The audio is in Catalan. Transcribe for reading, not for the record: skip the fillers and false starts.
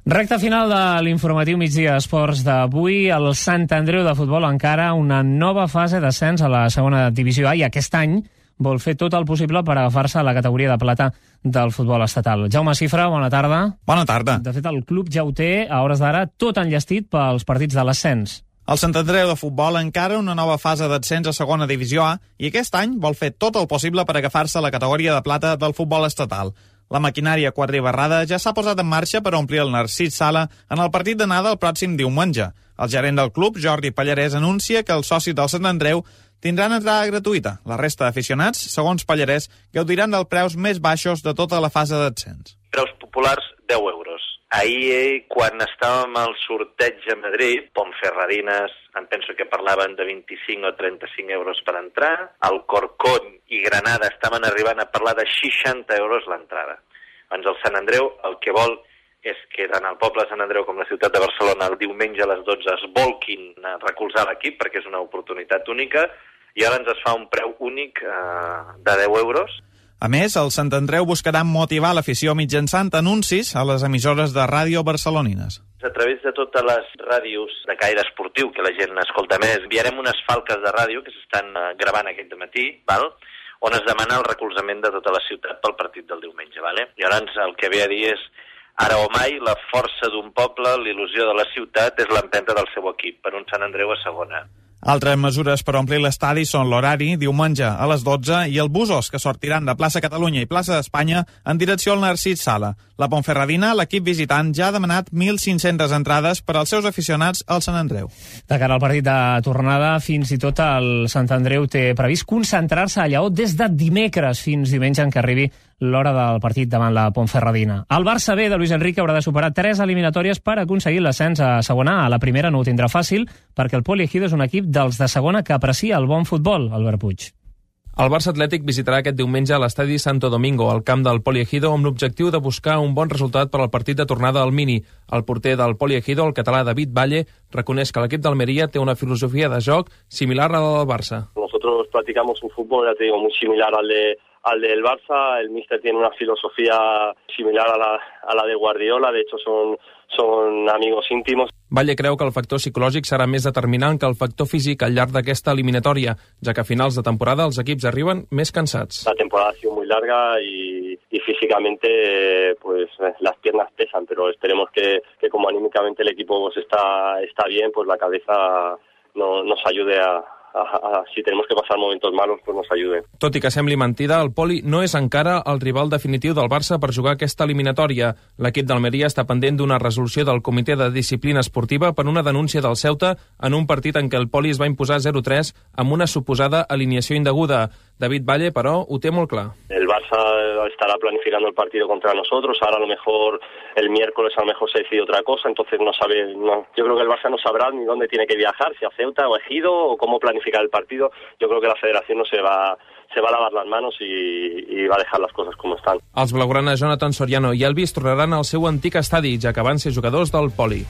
Recta final de l'informatiu migdia esports d'avui. El Sant Andreu de futbol encara una nova fase d'ascens a la segona divisió A i aquest any vol fer tot el possible per agafar-se a la categoria de plata del futbol estatal. Jaume Cifra, bona tarda. Bona tarda. De fet, el club ja ho té, a hores d'ara, tot enllestit pels partits de l'ascens. El Sant Andreu de futbol encara una nova fase d'ascens a segona divisió A i aquest any vol fer tot el possible per agafar-se a la categoria de plata del futbol estatal. La maquinària quadribarrada ja s'ha posat en marxa per omplir el Narcís Sala en el partit d'anada el pròxim diumenge. El gerent del club, Jordi Pallarès, anuncia que els socis del Sant Andreu tindran entrada gratuïta. La resta d'aficionats, segons Pallarès, gaudiran dels preus més baixos de tota la fase d'ascens. Preus populars, 10 euros. Ahir, quan estàvem al sorteig a Madrid, Ponferradines, em penso que parlaven de 25 o 35 euros per entrar, el Corcón i Granada estaven arribant a parlar de 60 euros l'entrada. Doncs el Sant Andreu el que vol és que tant el poble de Sant Andreu com la ciutat de Barcelona el diumenge a les 12 es volquin a recolzar l'equip perquè és una oportunitat única i ara ens es fa un preu únic de 10 euros. A més, el Sant Andreu buscarà motivar l'afició mitjançant anuncis a les emissores de ràdio barcelonines. A través de totes les ràdios de caire esportiu que la gent escolta més, enviarem unes falques de ràdio que s'estan gravant aquest matí, on es demana el recolzament de tota la ciutat pel partit del diumenge. Llavors el que ve a dir és, ara o mai, la força d'un poble, l'il·lusió de la ciutat és l'empenta del seu equip, per un Sant Andreu a segona. Altres mesures per omplir l'estadi són l'horari, diumenge a les 12, i el busos que sortiran de plaça Catalunya i plaça d'Espanya en direcció al Narcís Sala. La Ponferradina, l'equip visitant, ja ha demanat 1.500 entrades per als seus aficionats al Sant Andreu. De cara al partit de tornada, fins i tot el Sant Andreu té previst concentrar-se a Lleó des de dimecres fins diumenge en què arribi l'hora del partit davant la Ponferradina. El Barça B de Luis Enrique haurà de superar 3 eliminatòries per aconseguir l'ascens a segona A. La primera no ho tindrà fàcil perquè el Poliegido és un equip dels de segona que aprecia el bon futbol, Albert Puig. El Barça Atlètic visitarà aquest diumenge a l'estadi Santo Domingo, al camp del Poliegido, amb l'objectiu de buscar un bon resultat per al partit de tornada al Mini. El porter del Poliegido, el català David Valle, reconeix que l'equip d'Almeria té una filosofia de joc similar a la del Barça. Nosotros practicamos un fútbol, ya te digo, muy similar al del Barça. El míster tiene una filosofía similar a la de Guardiola, de hecho son amigos íntimos. Valle creu que el factor psicològic serà més determinant que el factor físic al llarg d'aquesta eliminatòria, ja que a finals de temporada els equips arriben més cansats. La temporada ha sido muy larga y físicamente pues las piernas pesan, pero esperemos que como anímicamente el equipo pues está bien, pues la cabeza nos ayude a si tenemos que passar momentos malos, pues nos ayude. Tot i que sembli mentida, el Poli no és encara el rival definitiu del Barça per jugar aquesta eliminatòria. L'equip d'Almeria està pendent d'una resolució del Comitè de Disciplina Esportiva per una denúncia del Ceuta en un partit en què el Poli es va imposar 0-3 amb una suposada alineació indeguda. David Valle, però, ho té molt clar. El Barça estará planificando el partido contra nosotros, ahora a lo mejor el miércoles a lo mejor se decide otra cosa, entonces yo creo que el Barça no sabrá ni dónde tiene que viajar, si a Ceuta o a Ejido o cómo planificar el partido. Yo creo que la federación no se va a lavar las manos y va a dejar las cosas como están. Els blaugrana Jonathan Soriano i Elvis tornaran al seu antic estadi, ja que van ser jugadors del Poli.